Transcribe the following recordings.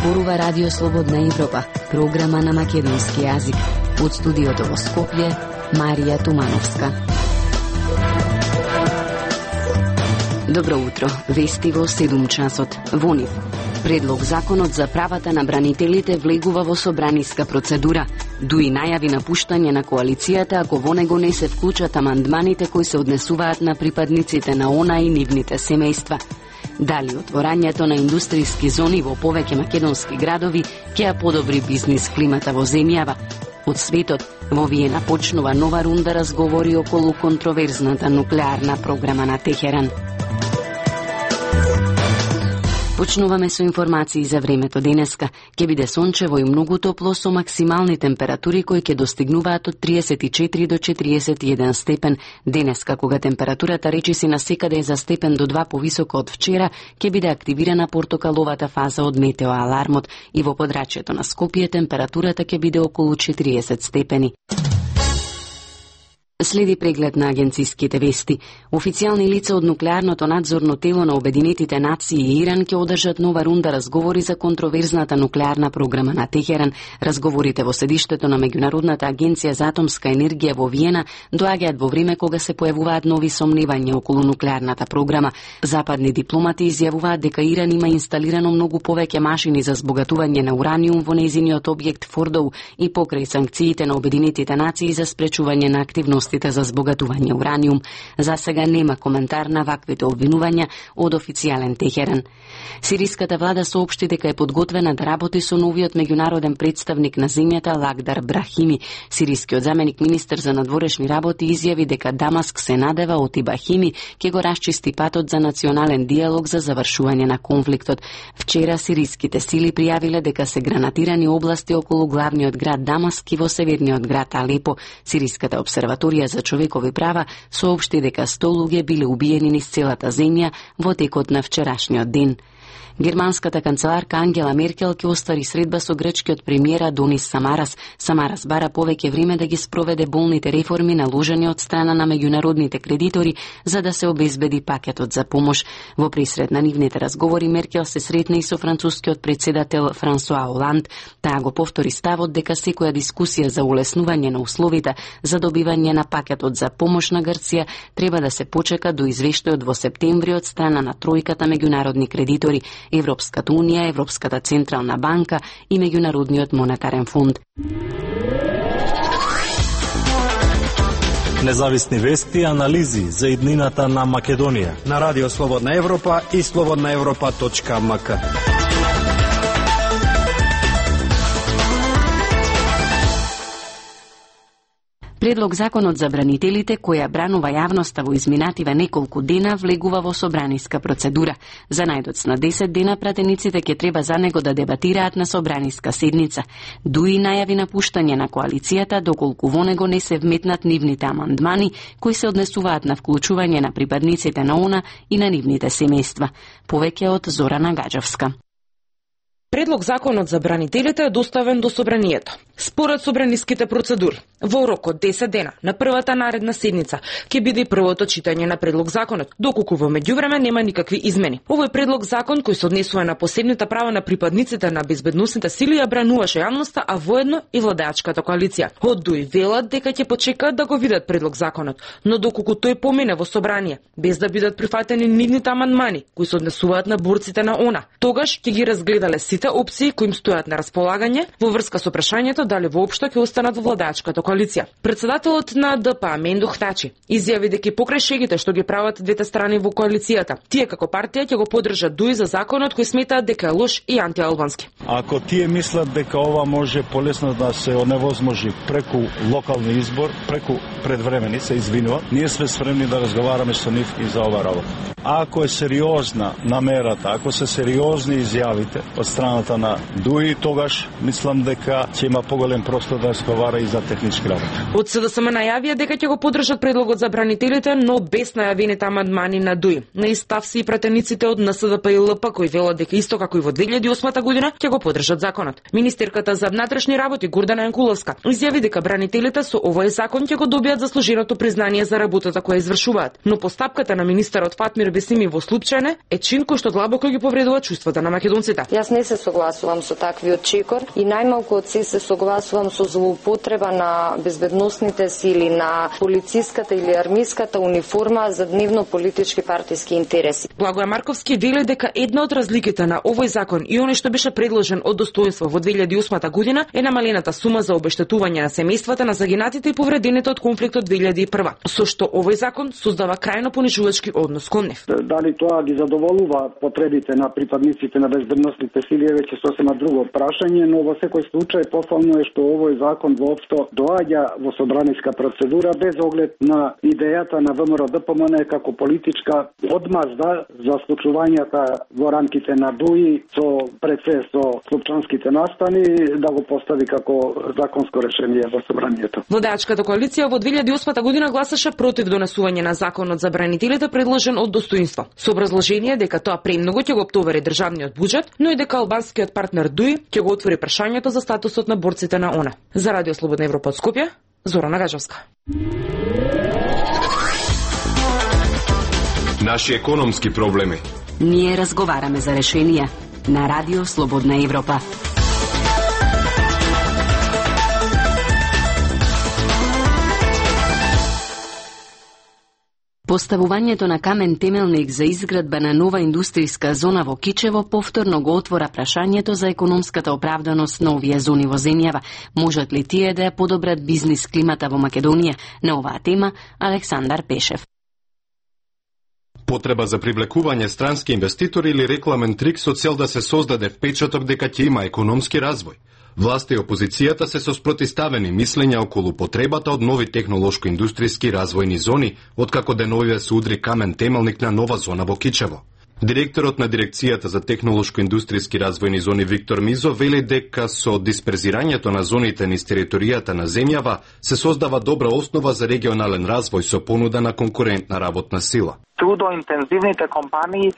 зборува Радио Слободна Европа, програма на македонски јазик. Од студиото во Скопје, Марија Тумановска. Добро утро, вести во 7 часот. Во нив, предлог законот за правата на бранителите влегува во собраниска процедура. Дуи најави напуштање на коалицијата ако во него не се вклучат амандманите кои се однесуваат на припадниците на ОНА и нивните семејства. Дали отворањето на индустријски зони во повеќе македонски градови ќе ја подобри бизнис климата во земјава? Од светот, во Виена почнува нова рунда разговори околу контроверзната нуклеарна програма на Техеран. Почнуваме со информации за времето денеска. Ќе биде сончево и многу топло со максимални температури кои ќе достигнуваат од 34 до 41 степен. Денеска, кога температурата речиси на секаде е за степен до 2 повисоко од вчера, ќе биде активирана портокаловата фаза од метеоалармот и во подрачјето на Скопје температурата ќе биде околу 40 степени. Следи преглед на агенциските вести. Официјални лица од нуклеарното надзорно тело на Обединетите нации и Иран ќе одржат нова рунда разговори за контроверзната нуклеарна програма на Техеран. Разговорите во седиштето на Меѓународната агенција за атомска енергија во Виена доаѓаат во време кога се појавуваат нови сомневања околу нуклеарната програма. Западни дипломати изјавуваат дека Иран има инсталирано многу повеќе машини за збогатување на ураниум во нејзиниот објект Фордоу и покрај санкциите на Обединетите нации за спречување на активност за збогатување ураниум. За сега нема коментар на ваквите обвинувања од официјален Техеран. Сириската влада соопшти дека е подготвена да работи со новиот меѓународен представник на земјата Лагдар Брахими. Сирискиот заменик министер за надворешни работи изјави дека Дамаск се надева од Ибахими ќе го расчисти патот за национален диалог за завршување на конфликтот. Вчера сириските сили пријавиле дека се гранатирани области околу главниот град Дамаск и во северниот град Алепо. Сириската обсерваторија за човекови права соопшти дека 100 луѓе биле убиени низ целата земја во текот на вчерашниот ден. Германската канцеларка Ангела Меркел ќе оствари средба со грчкиот премиер Адонис Самарас. Самарас бара повеќе време да ги спроведе болните реформи наложени од страна на меѓународните кредитори за да се обезбеди пакетот за помош. Во пресред на нивните разговори Меркел се сретна и со францускиот претседател Франсуа Оланд. Таа го повтори ставот дека секоја дискусија за улеснување на условите за добивање на пакетот за помош на Грција треба да се почека до извештајот во септември од страна на тројката меѓународни кредитори, Европската унија, Европската централна банка и Меѓународниот монетарен фонд. Независни вести и анализи за иднината на Македонија на Радио Слободна Европа и slobodnaevropa.mk. Предлог законот за бранителите, која бранува јавноста во изминативе неколку дена, влегува во собраниска процедура. За најдоцна 10 дена пратениците ќе треба за него да дебатираат на собраниска седница. Дуи најави напуштање на коалицијата, доколку во него не се вметнат нивните амандмани, кои се однесуваат на вклучување на припадниците на ОНА и на нивните семејства. Повеќе од Зорана Гаџевска. Предлог законот за бранителите е доставен до собранието. Според собраниските процедури, во рок од 10 дена на првата наредна седница ќе биде првото читање на предлог законот, доколку во меѓувреме нема никакви измени. Овој предлог закон кој се однесува на посебните права на припадниците на безбедносните сили ја брануваше јавноста, а воедно и владеачката коалиција. Од Дуи велат дека ќе почекаат да го видат предлог законот, но доколку тој помине во собрание без да бидат прифатени нивните амандмани кои се однесуваат на борците на ОНА, тогаш ќе ги разгледале сите опции кои им стојат на располагање во врска со прашањето дали воопшто ќе останат во владеачката коалиција. Председателот на ДП Мендо Хтачи изјави дека покрај шегите што ги прават двете страни во коалицијата, тие како партија ќе го поддржат Дуи за законот кој сметаат дека е лош и антиалбански. Ако тие мислат дека ова може полесно да се оневозможи преку локални избор, преку предвремени, се извинува, ние сме спремни да разговараме со нив и за ова работа. А ако е сериозна намерата, ако се сериозни изјавите од страната на Дуи, тогаш мислам дека ќе има поголем простор да разговара и за технички работи. Од СДСМ најавија дека ќе го поддржат предлогот за бранителите, но без најавените амандмани на ДУИ. На ист став се и пратениците од НСДП и ЛП кои велат дека исто како и во 2008 година ќе го поддржат законот. Министерката за внатрешни работи Гордана Јанкуловска изјави дека бранителите со овој закон ќе го добијат заслуженото признание за работата која извршуваат, но постапката на министерот Фатмир Бесими во Слупчане е чин кој што длабоко ги повредува чувствата на македонците. Јас не се согласувам со таквиот чекор и најмалку од се согласувам со злоупотреба на безбедносните сили, на полициската или армиската униформа за дневно политички партиски интереси. Благоја Марковски вели дека една од разликите на овој закон и оној што беше предложен од достоинство во 2008 година е намалената сума за обештетување на семејствата на загинатите и повредените од конфликтот 2001, со што овој закон создава крајно понижувачки однос кон нив. Дали тоа ги задоволува потребите на припадниците на безбедносните сили е веќе сосема друго прашање, но во секој случај пофално е што овој закон воопшто доаѓа во собраниска процедура без оглед на идејата на ВМРО ДПМН како политичка одмазда за случувањата во рамките на ДУИ со пред се со слупчанските настани да го постави како законско решение во собранието. Владеачката коалиција во 2008 година гласаше против донесување на законот за бранителите предложен од достоинство, со образложение дека тоа премногу ќе го оптовари државниот буџет, но и дека албанскиот партнер ДУИ ќе го отвори прашањето за статусот на борците на ОНЕ. За Радио Слободна Европа од Скопје, Зорана Гаджевска. Наши економски проблеми. Ние разговараме за решенија на Радио Слободна Европа. Поставувањето на камен темелник за изградба на нова индустријска зона во Кичево повторно го отвора прашањето за економската оправданост на овие зони во земјава. Можат ли тие да ја подобрат бизнис климата во Македонија? На оваа тема Александар Пешев. Потреба за привлекување странски инвеститори или рекламен трик со цел да се создаде впечаток дека ќе има економски развој. Власта и опозицијата се со спротиставени мислења околу потребата од нови технолошко-индустријски развојни зони, откако деновиве се удри камен темелник на нова зона во Кичево. Директорот на Дирекцијата за технолошко-индустријски развојни зони Виктор Мизо вели дека со дисперзирањето на зоните низ територијата на земјава се создава добра основа за регионален развој со понуда на конкурентна работна сила. Трудоинтензивните компании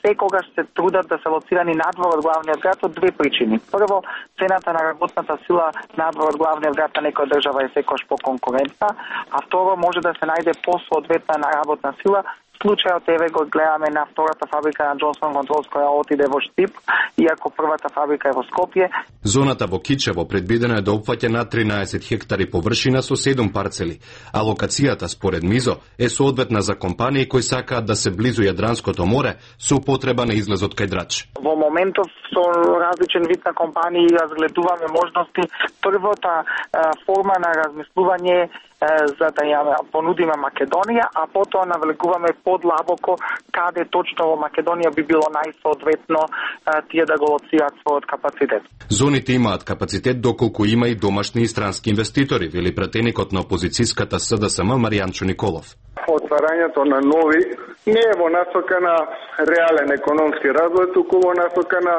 секогаш се трудат да се лоцирани надвор од главниот град од две причини. Прво, цената на работната сила надвор од главниот град на некоја држава е секогаш поконкурентна, а второ, може да се најде посоодветна на работна сила. Случајот еве го гледаме на втората фабрика на Джонсон Контролс која отиде во Штип, иако првата фабрика е во Скопје. Зоната во Кичево предвидено е да опфаќа на 13 хектари површина со 7 парцели, а локацијата според Мизо е соодветна за компании кои сакаат да се близу Јадранското море со употреба на излезот кај Драч. Во моментов со различен вид на компании разгледуваме можности. Првата форма на размислување за да ја понудиме Македонија, а потоа навлегуваме подлабоко каде точно во Македонија би било најсоодветно тие да го лоцираат својот капацитет. Зоните имаат капацитет доколку има и домашни и странски инвеститори, вели пратеникот на опозицијската СДСМ Маријанчо Николов. Отварањето на нови не е во насока на реален економски развој, туку во насока на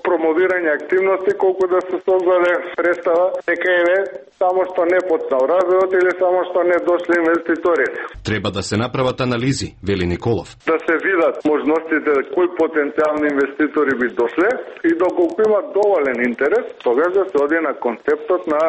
промовирање активности, колку да се создаде представа дека еве само што не потсал развојот или само што не дошли инвеститори. Треба да се направат анализи, вели Николов. Да се видат можностите кои потенцијални инвеститори би дошле и доколку има доволен интерес, тогаш да се оди на концептот на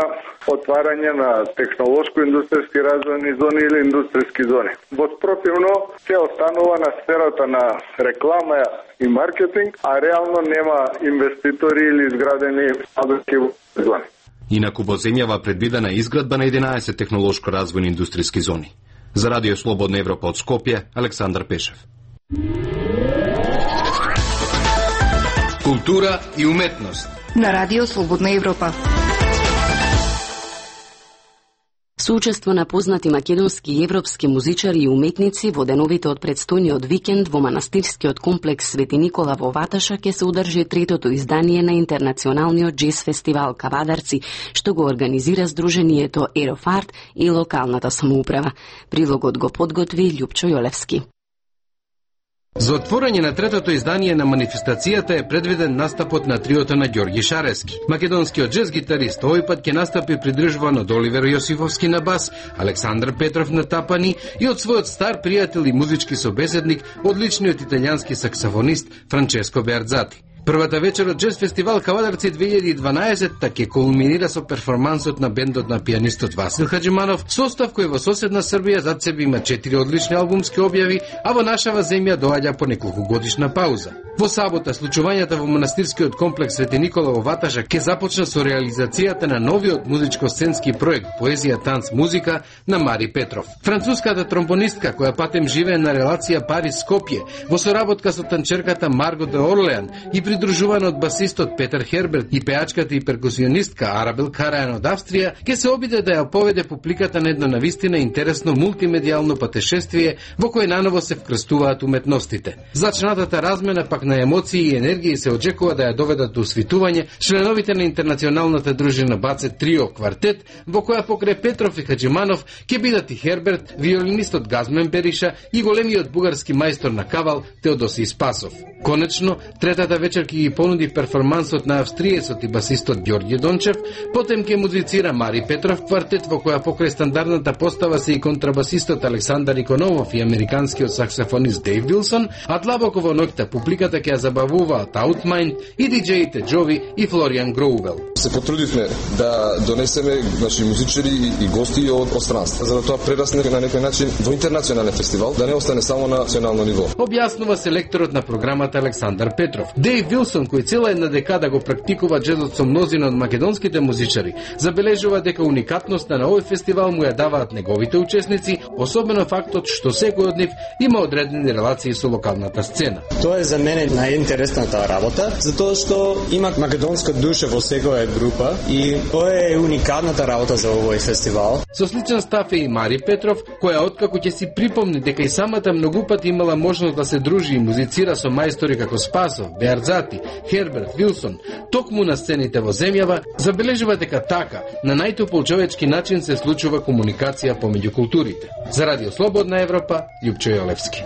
отварање на технолошко-индустријски развојни зони или индустријски зони. Во спротивно се останува на сферата на реклама и маркетинг, а реално нема инвеститори или изградени фабрики зони. Инаку во земјава предвидена изградба на 11 технолошко-развојни индустријски зони. За Радио Слободна Европа од Скопје, Александар Пешев. Култура и уметност на Радио Слободна Европа. Соучество на познати македонски и европски музичари и уметници во деновите од предстојниот викенд во манастирскиот комплекс Свети Никола во Ваташа ќе се одржи третото издание на интернационалниот джез фестивал Кавадарци, што го организира Сдруженијето Ерофарт и локалната самоуправа. Прилогот го подготви Љупчо Јолевски. За отворање на третото издание на манифестацијата е предвиден настапот на триото на Ѓорги Шарески. Македонскиот джез гитарист овој пат ќе настапи придржуван од Оливер Јосифовски на бас, Александар Петров на тапани и од својот стар пријател и музички собеседник, одличниот италијански саксофонист Франческо Беарзати. Првата вечер од Джез фестивал Кавадарци 2012 ќе кулминира со перформансот на бендот на пианистот Васил Хаджиманов, состав кој во соседна Србија зад себе има 4 одлични албумски објави, а во нашава земја доаѓа по неколку годишна пауза. Во сабота случувањата во манастирскиот комплекс Свети Никола во Ваташа ќе започна со реализацијата на новиот музичко-сценски проект Поезија, танц, музика на Мари Петров. Француската тромбонистка која патем живее на релација Париз-Скопје во соработка со танчерката Марго де Орлеан и придружувана од басистот Петер Херберт и пеачката и перкусионистка Арабел Карајан од Австрија, ќе се обиде да ја поведе публиката на едно навистина интересно мултимедијално патешествие во кое наново се вкрстуваат уметностите. Зачнатата размена пак на емоции и енергија се очекува да ја доведат до усвитување членовите на интернационалната дружина Бацет Трио Квартет, во која покрај Петров и Хаджиманов ќе бидат и Херберт, виолинистот Газмен Бериша и големиот бугарски мајстор на кавал Теодосиј Спасов. Конечно, третата вечер ќе ги понуди перформансот на австриецот и басистот Ѓорѓе Дончев, потем ќе музицира Мари Петров квартет во која покрај стандардната постава се и контрабасистот Александар Икономов и американскиот саксофонист Дейв Вилсон, а длабоко во ноќта публиката ќе ја забавуваат Outmind и диџеите Джови и Флориан Гроувел. Се потрудивме да донесеме музичари и гости од странство, за да тоа прерасне на некој начин во интернационален фестивал, да не остане само на национално ниво. Објаснува селекторот на програмата Александар Петров. Дейв Вилсон, кој цела една декада го практикува джезот со мнозина од македонските музичари, забележува дека уникатноста на овој фестивал му ја даваат неговите учесници, особено фактот што секој од нив има одредени релации со локалната сцена. Тоа е за мене најинтересната работа, затоа што има македонска душа во секоја група и тоа е уникатната работа за овој фестивал. Со сличен став е и Мари Петров, која откако ќе си припомни дека и самата многу пати имала можност да се дружи и музицира со мајстори како Спасов, Беарзати, Херберт, Вилсон, токму на сцените во земјава, забележува дека така, на најтопол човечки начин се случува комуникација помеѓу културите. За Радио Слободна Европа, Љупчо Јолевски.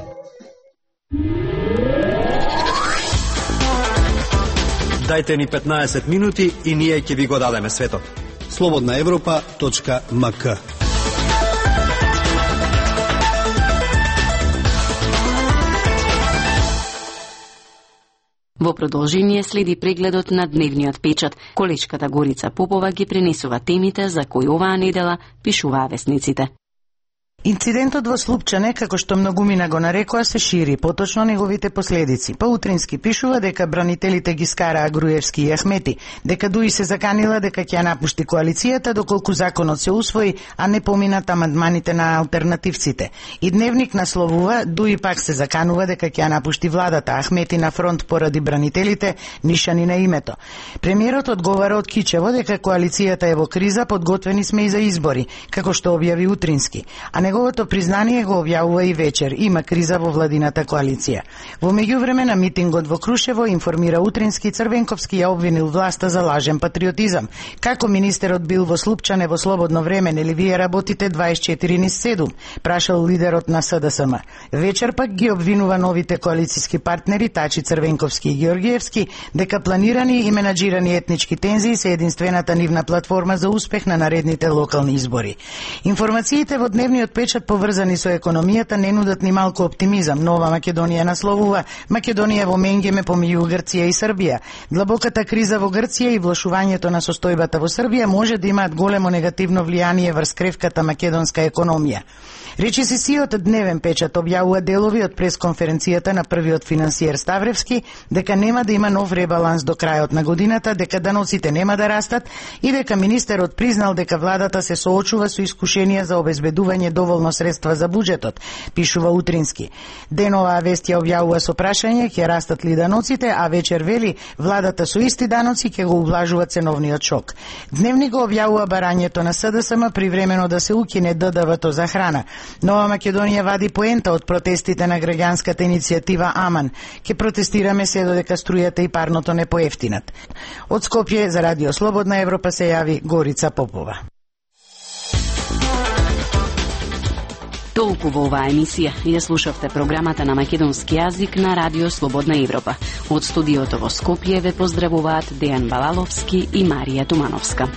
Дајте ни 15 минути и ние ќе ви го дадеме светот. slobodnaevropa.mk. Во продолжение следи прегледот на дневниот печат. Колечката Горица Попова ги пренесува темите за кои оваа недела пишуваа весниците. Инцидентот во Слупчане, како што многумина го нарекоа, се шири, поточно неговите последици. Утрински пишува дека бранителите ги скараа Груевски и Ахмети, дека Дуи се заканила дека ќе напушти коалицијата доколку законот се усвои, а не поминат амандманите на алтернативците. И Дневник насловува Дуи пак се заканува дека ќе напушти владата, Ахмети на фронт поради бранителите, нишани на името. Премиерот одговара од Кичево дека коалицијата е во криза, подготвени сме и за избори, како што објави Утрински. А неговото признание го објавува и вечер. Има криза во владината коалиција. Во меѓувреме на митингот во Крушево информира Утрински, Црвенковски ја обвинил власта за лажен патриотизам. Како министерот бил во Слупчане во слободно време, нели вие работите 24/7, прашал лидерот на СДСМ. Вечер пак ги обвинува новите коалициски партнери Тачи, Црвенковски и Георгиевски дека планирани и менаџирани етнички тензии се единствената нивна платформа за успех на наредните локални избори. Информациите во дневниот печат поврзани со економијата не нудат ни малку оптимизам. Нова Македонија насловува Македонија во менгеме помеѓу Грција и Србија. Длабоката криза во Грција и влошувањето на состојбата во Србија може да имаат големо негативно влијание врз кревката македонска економија. Речисисиот Дневен печат објавува делови од пресконференцијата на првиот финансиер Ставревски дека нема да има нов ребаланс до крајот на годината, дека даноците нема да растат и дека министерот признал дека владата се соочува со искушенија за обезбедување доволно средства за буџетот, пишува Утрински. Денова вест ја објавува со прашање ќе растат ли даноците, а вечер вели владата со исти даноци ќе го ублажува ценовниот шок. Дневник го објавува барањето на СДСМ привремено да се укине ДДВ-то за храна. Нова Македонија вади поента од протестите на граѓанската иницијатива Аман. Ке протестираме се додека струјата и парното не поевтинат. Од Скопје за Радио Слободна Европа се јави Горица Попова. Толку во оваа емисија ја слушавте програмата на македонски јазик на Радио Слободна Европа. Од студиото во Скопје ве поздравуваат Дејан Балаловски и Марија Тумановска.